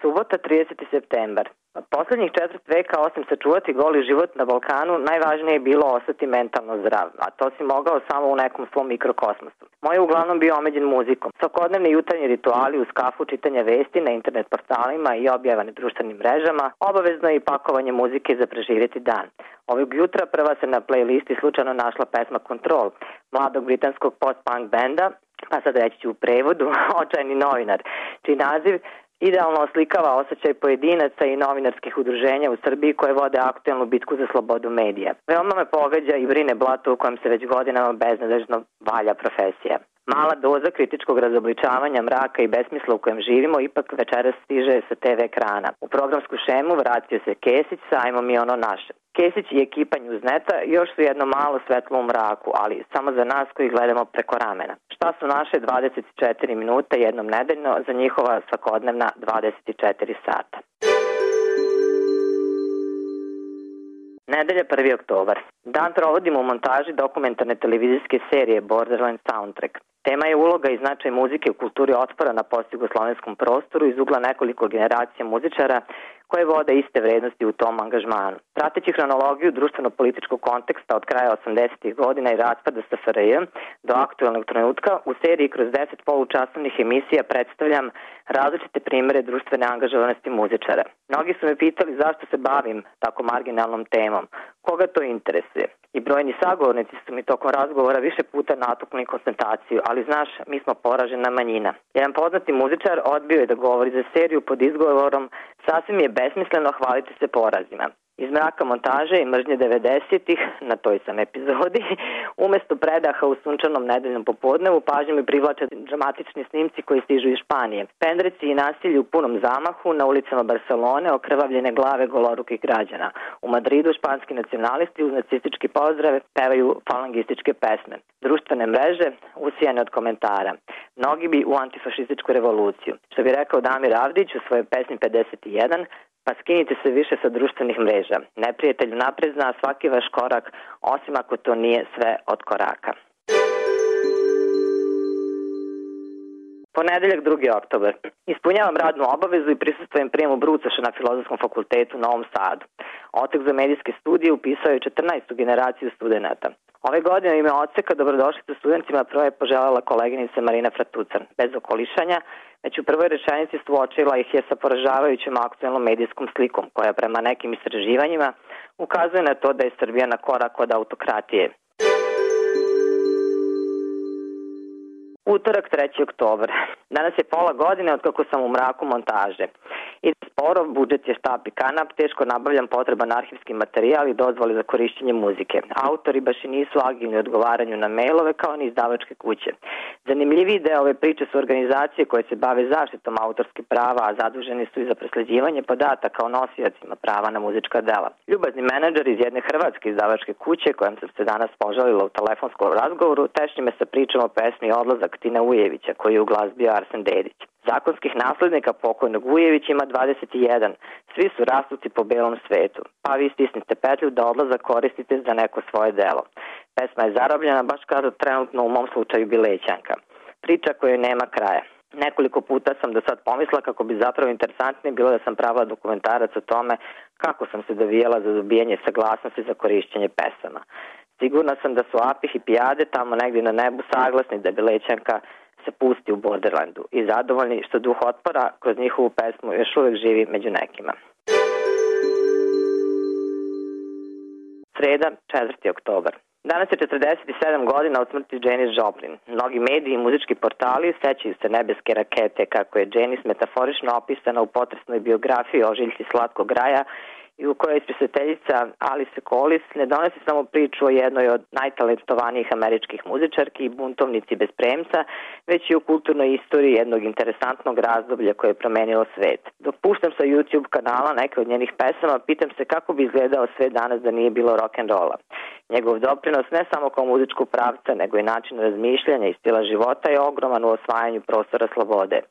Subota, 30. septembar. Poslednjih četvrt veka, osim sačuvati goli život na Balkanu, najvažnije je bilo ostati mentalno zdrav, a to si mogao samo u nekom svom mikrokosmosu. Moj je uglavnom bio omeđen muzikom. Svakodnevni jutarnji rituali uz kafu, čitanja vesti na internet portalima i objava na društvenim mrežama, obavezno je i pakovanje muzike za preživjeti dan. Ovog jutra prva se na playlisti slučajno našla pesma Control, mladog britanskog post-punk benda, pa sad reći ću u prevodu, Očajni novinar, čiji naziv idealno oslikava osjećaj pojedinaca i novinarskih udruženja u Srbiji koje vode aktuelnu bitku za slobodu medija. Veoma me pogađa i brine blato u kojem se već godinama beznadežno valja profesija. Mala doza kritičkog razobličavanja mraka i besmisla u kojem živimo ipak večeras stiže sa TV ekrana. U programsku šemu vratio se Kesić sa Ajmo mi ono naše. Kesić i ekipa Newsneta još su jedno malo svetlo u mraku, ali samo za nas koji gledamo preko ramena. Šta su naše 24 minuta jednom nedeljno za njihova svakodnevna 24 sata? Nedelja 1. oktobar. Dan provodimo u montaži dokumentarne televizijske serije Borderland Soundtrack. Tema je uloga i značaj muzike u kulturi otpora na postjugoslovenskom prostoru iz ugla nekoliko generacija muzičara koje vode iste vrednosti u tom angažmanu. Prateći hronologiju društveno-političkog konteksta od kraja 80. godina i raspada SFRJ do aktuelnog trenutka, u seriji kroz 10 polučasovnih emisija predstavljam različite primere društvene angažovanosti muzičara. Mnogi su me pitali zašto se bavim tako marginalnom temom, koga to interesuje. I brojni sagovornici su mi tokom razgovora više puta natukli konstataciju, ali znaš, mi smo poražena manjina. Jedan poznati muzičar odbio je da govori za seriju pod izgovorom sasvim je besmisleno hvaliti se porazima. Iz mraka montaže i mržnje 90-ih, na toj sam epizodi, umesto predaha u sunčanom nedeljnom popodnevu, pažnju mi privlače dramatični snimci koji stižu iz Španije. Pendreci i nasilje u punom zamahu na ulicama Barcelone, okrvavljene glave golorukih građana. U Madridu španski nacionalisti uz nacistički pozdrave pevaju falangističke pesme. Društvene mreže usijane od komentara. Mnogi bi u antifašističku revoluciju. Što bi rekao Damir Avdić u svojoj pesmi 51, pa skinite se više sa društvenih mreža. Neprijatelj napred zna svaki vaš korak, osim ako to nije sve od koraka. Ponedeljak 2. oktobar. Ispunjavam radnu obavezu i prisustvujem prijemu brucaša na Filozofskom fakultetu u Novom Sadu. Otek za medijske studije upisao je 14. generaciju studenta. Ove godine ime odseka dobrodošlicu studentima prvo je poželjela koleginica Marina Fratucan. Bez okolišanja, već u prvoj rečenici suočila ih je sa poražavajućom aktuelnom medijskom slikom, koja prema nekim istraživanjima ukazuje na to da je Srbija na korak od autokratije. Utorak 3. oktobar. Danas je pola godine od kako sam u mraku montaže. Ide sporo, budžet je štap i kanap, teško nabavljam potreban arhivski materijal i dozvoli za korišćenje muzike. Autori baš i nisu agilni u odgovaranju na mailove kao ni izdavačke kuće. Zanimljiviji deo ove priče su organizacije koje se bave zaštitom autorskih prava, a zaduženi su i za prosleđivanje podataka o nosiocima prava na muzička dela. Ljubazni menadžer iz jedne hrvatske izdavačke kuće, kojom sam se danas požalila u telefonskom razgovoru, tešnji me sa pričom o pesmi Odlazak Tina Ujevića, koji je u glas bio Arsen Dedić. Zakonskih naslednika pokojnog Ujevića ima 21. Svi su rasuti po belom svetu. Pa vi stisnite petlju da odlazak koristite za neko svoje delo. Pesma je zarobljena, baš kao trenutno u mom slučaju Bilećanka. Priča kojoj nema kraja. Nekoliko puta sam do sad pomisla kako bi zapravo interesantnije bilo da sam pravila dokumentarac o tome kako sam se dovijela za dobijanje saglasnosti za korišćenje pesama. Sigurna sam da su Api i Pijade tamo negdje na nebu saglasni da Bilećanka se pusti u Borderlandu i zadovoljni što duh otpora kroz njihovu pesmu još uvek živi među nekima. Sreda, 4. oktobar. Danas je 47 godina od smrti Janis Joplin. Mnogi mediji i muzički portali sećaju se nebeske rakete kako je Janis metaforično opisana u potresnoj biografiji Ožiljci slatkog raja i u kojoj spisateljica Alice Collis ne donosi samo priču o jednoj od najtalentovanijih američkih muzičarki i buntovnici bez premca, već i u kulturnoj istoriji jednog interesantnog razdoblja koje je promenilo svet. Dok puštam sa YouTube kanala neke od njenih pesama, pitam se kako bi izgledao svet danas da nije bilo rock'n'rolla. Njegov doprinos ne samo kao muzičkog pravca, nego i način razmišljanja i stila života je ogroman u osvajanju prostora slobode.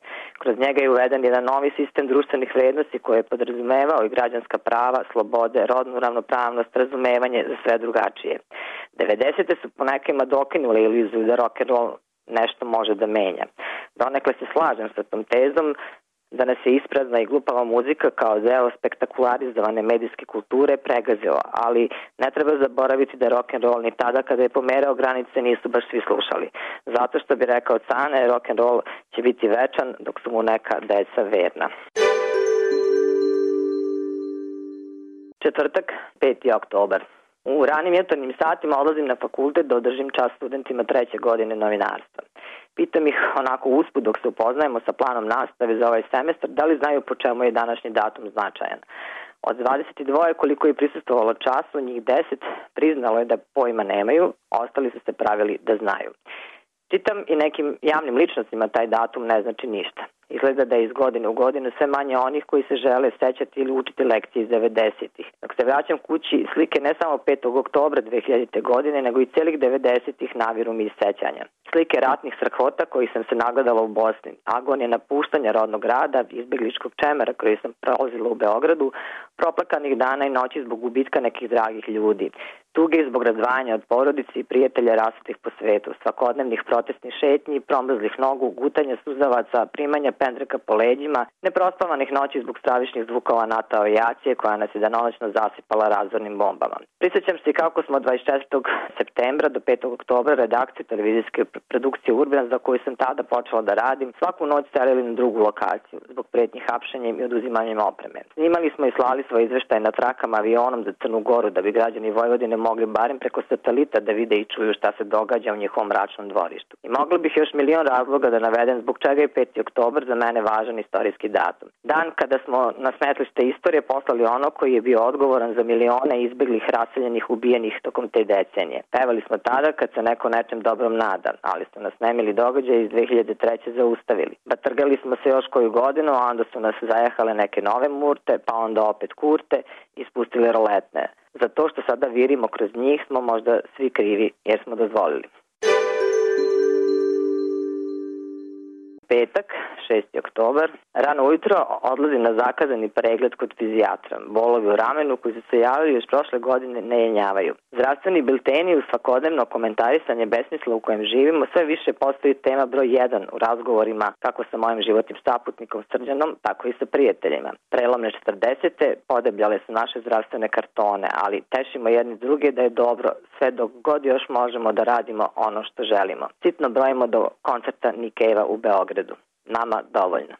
Kroz njega je uveden jedan novi sistem društvenih vrednosti koji je podrazumevao i građanska prava, slobode, rodnu ravnopravnost, razumevanje za sve drugačije. 90. su po nekima dokinule iluziju da rock'n'roll nešto može da menja. Donekle se slažem sa tom tezom, da nas je isprazna i glupava muzika kao deo spektakularizovane medijske kulture pregazila, ali ne treba zaboraviti da rock'n'roll ni tada kada je pomerao granice nisu baš svi slušali. Zato što bi rekao Cane, rock'n'roll će biti večan dok su mu neka deca verna. Četvrtak, 5. oktobar. U ranim jutarnjim satima odlazim na fakultet da održim čas studentima 3. godine novinarstva. Pitam ih onako usput dok se upoznajemo sa planom nastave za ovaj semestar, da li znaju po čemu je današnji datum značajan. Od 22 koliko je prisustvovalo času, njih 10 priznalo je da pojma nemaju, ostali su se pravili da znaju. Čitam i nekim javnim ličnostima taj datum ne znači ništa. Izgleda da je iz godine u godinu sve manje onih koji se žele sećati ili učiti lekcije iz 90-ih. Dok se vraćam kući, slike ne samo 5. oktobra 2000. godine, nego i celih 90-ih naviru mi iz sećanja. Slike ratnih strahota kojih sam se nagledala u Bosni, agonije napuštanja rodnog grada, izbegličkog čemera koji sam prolazila u Beogradu, proplakanih dana i noći zbog gubitka nekih dragih ljudi, tuge zbog razdvajanja od porodice i prijatelja rasutih po svetu, svakodnevnih protestnih šetnji, promrzlih nogu, gutanja suzavaca, primanja pendreka po leđima, neprospavanih noći zbog stravičnih zvukova NATO avijacije koja nas je danonoćno zasipala razornim bombama. Prisjećam se kako smo 24. septembra do 5. oktobra redakciju televizijske produkcije Urban, za koju sam tada počela da radim, svaku noć selili na drugu lokaciju zbog pretnji hapšenjem i oduzimanjem opreme. Snimali smo i slali svoj izveštaj na trakama avionom za Crnu Goru da bi građani Vojvodine mogli barem preko satelita da vide i čuju šta se događa u njihovom mračnom dvorištu. I mogla bih još milion razloga da navedem zbog čega je 5. oktobar za mene važan istorijski datum. Dan kada smo na smetlište istorije poslali ono koji je bio odgovoran za milione izbeglih, raseljenih, ubijenih tokom te decenije. Pevali smo tada kad se neko nečem dobrom nada, ali su nas nemili događaje iz 2003. zaustavili. Batrgali smo se još koju godinu, a onda su nas zajehale neke nove murte, pa onda opet kurte i spustili roletne. Za to što sada virimo kroz njih smo možda svi krivi jer smo dozvolili. Petak, 6. oktobar. Rano ujutro odlazim na zakazani pregled kod fizijatra. Bolovi u ramenu koji su se javili još prošle godine ne jenjavaju. Zdravstveni bilteni uz svakodnevno komentarisanje besmisla u kojem živimo sve više postoji tema broj 1 u razgovorima kako sa mojim životnim saputnikom Srđanom, tako i sa prijateljima. Prelomne 40. podebljale su naše zdravstvene kartone, ali tešimo jedni druge da je dobro sve dok god još možemo da radimo ono što želimo. Sitno brojimo do koncerta Nick Cave-a u Beogradu. Nama dovoljno.